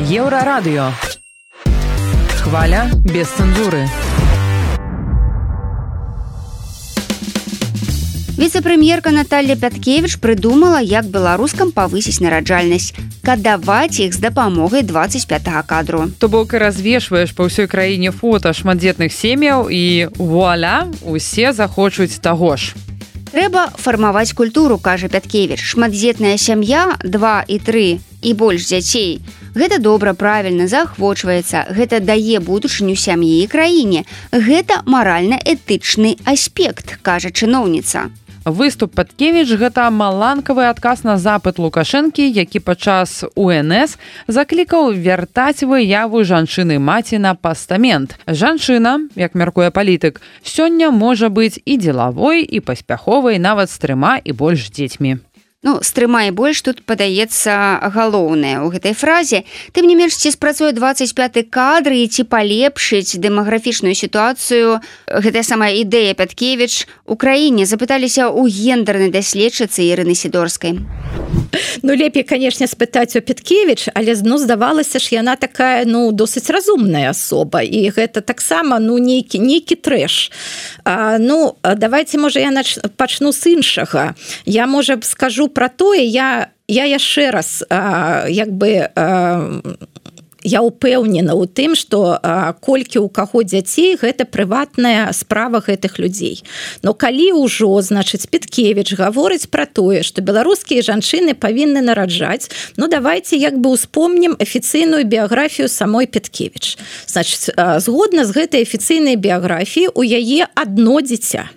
Еўрарадыё. Хваля без цэнзуры. Віцэ-прэм'ерка Наталья Пяткевіч прыдумала, як беларускам павысіць нараджальнасць, кадаваць іх з дапамогай 25-го кадру. То бок развешваеш па ўсёй краіне фота шматдзетных сем'яў і вуаля, усе захочуць таго ж. Трэба фармаваць культуру, кажа Пяткевіч. Шматдзетная сям'я, 2 і 3 і больш дзяцей. Гэта добра, правільна, заахвочваецца. Гэта дае будучыню сям'і і краіне. Гэта маральна-этычны аспект, кажа чыноўніца. Выступ Пяткевіч – гэта маланкавы адказ на запыт Лукашэнкі, які падчас УНС заклікаў вяртаць выяву жанчыны-маці на пастамент. Жанчына, як мяркуе палітык, сёння можа быць і дзелавой, і паспяховай, нават з 3 і больш дзецьмі. Ну, стрымай больш тут падаецца галоўнае ў гэтай фразе. Тым не менш, ці спрацуе 25-й кадр і ці палепшыць дэмаграфічную сітуацыю гэтая самая ідэя Пяткевіч у краіне, запыталіся ў гендернай даследчыцы Ірыны Сідорскай. Ну, лепей, канешне, спытаць у Пяткевіч, але здавалася ж, яна такая, досыць разумная асоба, і гэта таксама, нейкі трэш. Давайте, можа, я пачну з іншага. Я, можа, скажу про тое, я яшчэ раз я упэўнена ў тым, што колькі ў каго дзяцей гэта прыватная справа гэтых людзей. Но калі ўжо, значыць, Пяткевіч гаворыць пра тое, што беларускія жанчыны павінны нараджаць, давайте успомнім афіцыйную біяграфію самой Пяткевіч. Значыць, згодна з гэтай афіцыйнай біяграфіі у яе адно дзіця.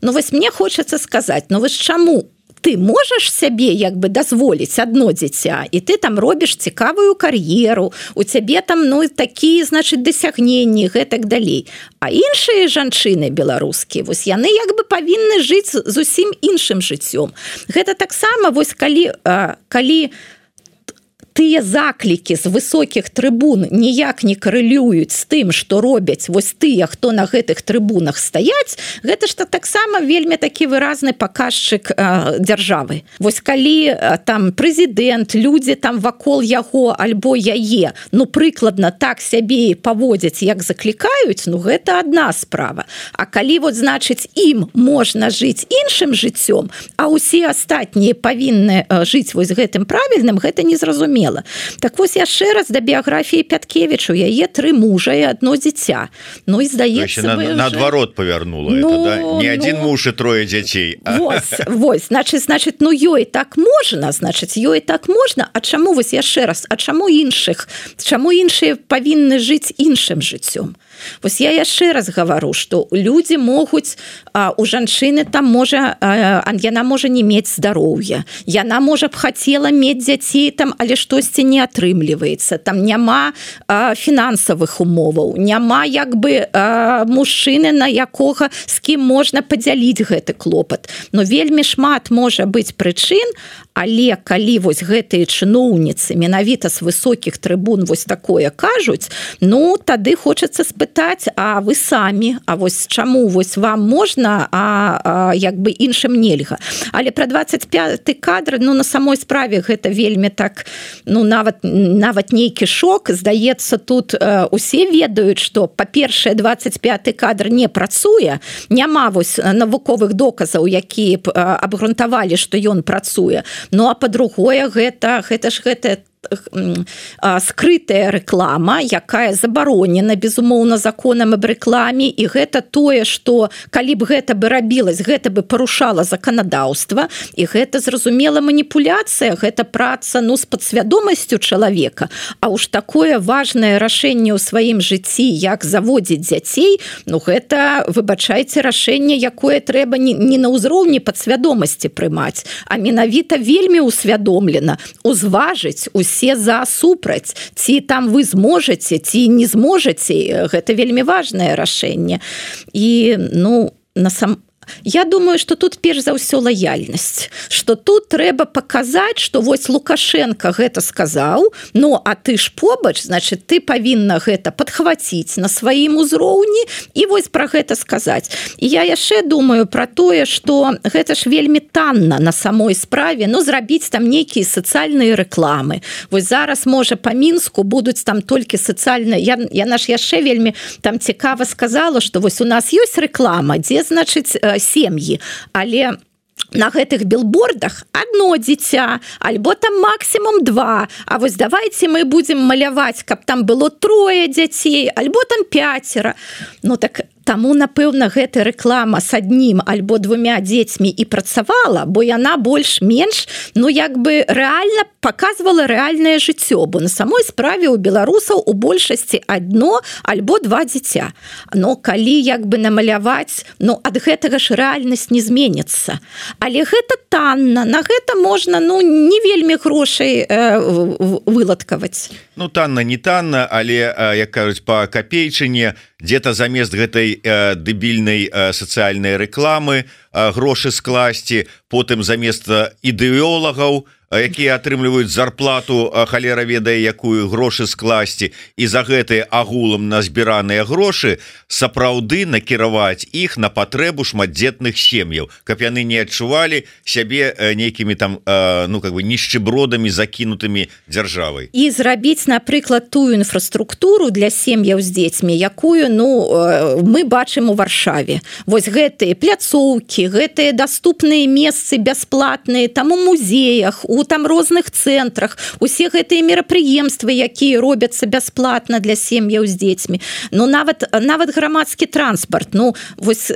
Вось мне хочацца сказаць, вось чаму ты можаш сябе дазволіць адно дзіця, і ты там робіш цікавую кар'еру, у цябе там такія, значыць, дасягненні, гэтак далей. А іншыя жанчыны беларускія, вось яны павінны жыць зусім іншым жыццём. Гэта таксама, вось калі тыя заклікі з высокіх трыбун ніяк не карэлююць з тым, што робяць вось тыя, хто на гэтых трыбунах стаяць, гэта ж таксама вельмі такі выразны паказчык дзяржавы. Вось калі там прэзідэнт, людзі там вакол яго альбо яе, прыкладна так сябе паводзяць, як заклікаюць, гэта адна справа. А калі, значыць, ім можна жыць іншым жыццём, а ўсе астатнія павінны жыць вось гэтым правільным, гэта незразумела. Так вось яшчэ раз да біяграфіі Пяткевіч, у яе 3 мужа і одно дзіця. І здаецца, наадварот павярнула это, да? Не адзін муж і 3 дзяцей. Вось, значыць, ёй так можна, а чаму, вось яшчэ раз, а чаму іншыя павінны жыць іншым жыццём? Вось я яшчэ раз гавару, што людзі могуць, у жанчыны там яна можа не мець здароўя, яна можа б хацела мець дзяцей там, але штосьці не атрымліваецца, там няма фінансавых умоваў, няма мужчыны, на якога з кім можна падзяліць гэты клопат. Вельмі шмат можа быць прычын, але калі вось гэтыя чыноўніцы менавіта з высокіх трыбун вось такое кажуць, тады хочацца спытаць, а вы самі, а вось чаму вось вам можна, а іншым нельга. Але пра 25-й кадр, на самой справе гэта вельмі так, нават нейкі шок. Здаецца, тут усе ведаюць, што, па-першае, 25-й кадр не працуе, няма вось навуковых доказаў, якія б абгрунтавалі, што ён працуе. А па-другое, гэта скрытая рэклама, якая забаронена, безумоўна, законам аб рэкламе, і гэта тое, што калі б гэта бы рабілась, гэта бы парушала заканадаўства, і гэта, зразумела, маніпуляцыя, гэта праца, з падсвядомасцю чалавека. А уж такое важнае рашэнне ў сваім жыцці, як заводзіць дзяцей, гэта, выбачайце, рашэнне, якое трэба не на ўзроўні падсвядомасці прымаць, а менавіта вельмі усвядомлена, узважыць усе за супраць, ці там вы зможаце, ці не зможаце, гэта вельмі важнае рашэнне. І, я думаю, што тут перш за ўсё лаяльнасць, што тут трэба паказаць, што вось Лукашенко гэта сказаў, а ты ж побач, значыць, ты павінна гэта падхваціць на сваім узроўні і вось пра гэта сказаць. І я яшчэ думаю пра тое, што гэта ж вельмі танна на самой справе, зрабіць там нейкія сацыяльныя рэкламы. Вось зараз, можа, па Мінску будуць там толькі сацыяльныя, яна ж яшчэ вельмі там цікава сказала, што вось у нас ёсць рэклама, дзе, значыць, сем'і, але на гэтых билбордах одно дзіця, альбо там максимум 2, а вось давайте мы будем маляваць, каб там было 3 дзяцей, альбо там 5. Так таму, напэўна, гэта рэклама с 1 альбо 2 дзецьмі і працавала, бо яна больш-менш, рэальна показывала рэальнае жыццё, бо на самой справе у беларусаў у большасці 1 альбо 2 дзіця. Калі намаляваць, ад гэтага ж рэальнасць не зменіцца. Але гэта танна, на гэта можна не вельмі грошай выладкаваць. Танна, не танна, але, як кажуць, па капейчыне, где-то замест гэтай дэбільнай сацыяльнай рэкламы грошы скласці, потым замест ідэолагаў, якія атрымліваюць зарплату, халера ведае якую, грошы скласці, і за гэтыя агулам назбіраныя грошы сапраўды накіраваць іх на патрэбу шматдзетных сем'яў, каб яны не адчувалі сябе нейкімі там нішчыбродамі закінутымі дзяржавай. І зрабіць, напрыклад, тую інфраструктуру для сем'яў з дзецьмі, якую мы бачым у Варшаве. Вось гэтыя пляцоўкі, гэтыя даступныя месцы бясплатныя там у музеях, у там розных цэнтрах, усе гэтыя мерапрыемствы, якія робяцца бясплатна для сем'яў з дзецьмі. Нават грамадскі транспарт, вось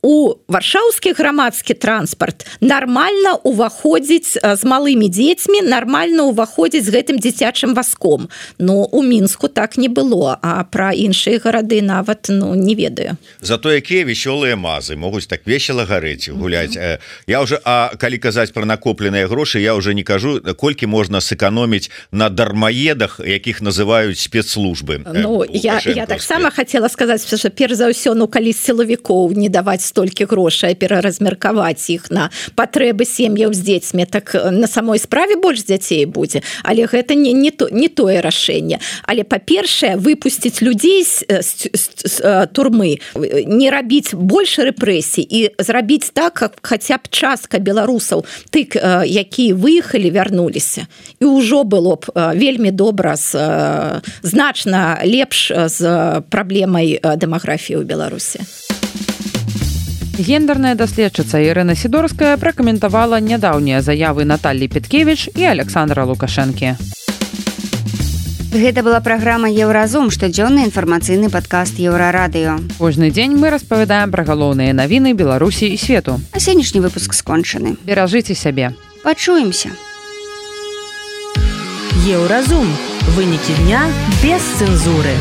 у варшаўскі грамадскі транспарт нармальна ўваходзіць з малымі дзецьмі, нармальна ўваходзіць з гэтым дзіцячым вазком. У Мінску так не было, а пра іншыя гарады нават не ведаю. Зато якія весёлыя мазы могуць так весела гарэць, гуляць. Калі казаць пра накопленыя грошы, я уже не кажу, колькі можна сэканоміць на дармаедах, якіх называюць спецслужбы. Я таксама хацела сказаць, што перш за ўсё, калі сілавікоў не даваць столькі грошай, пераразмеркаваць іх на патрэбы сем'яў з дзецьмі, так на самой справе больш дзяцей будзе. Але гэта не тое рашэнне. Але, па-першае, выпусціць людзей з турмы, не рабіць больш рэпрэсій і зрабіць так, каб хаця б частка беларусаў, тых, якія выехалі, вярнуліся. І ўжо было б вельмі добра, значна лепш з праблемай дэмаграфіі ў Беларусі. Гендерная даследчыца Ірына Сідорская пракаментавала нядаўнія заявы Наталлі Петкевіч і Александра Лукашэнкі. Гэта была праграма «Еўразум», штодзённы інфармацыйны падкаст Еўрарадыё. Кожны дзень мы распавядаем пра галоўныя навіны Беларусі і свету. А сённяшні выпуск скончаны. Беражыце сябе. Пачуемся. Еўразум. Вынікі дня без цэнзуры.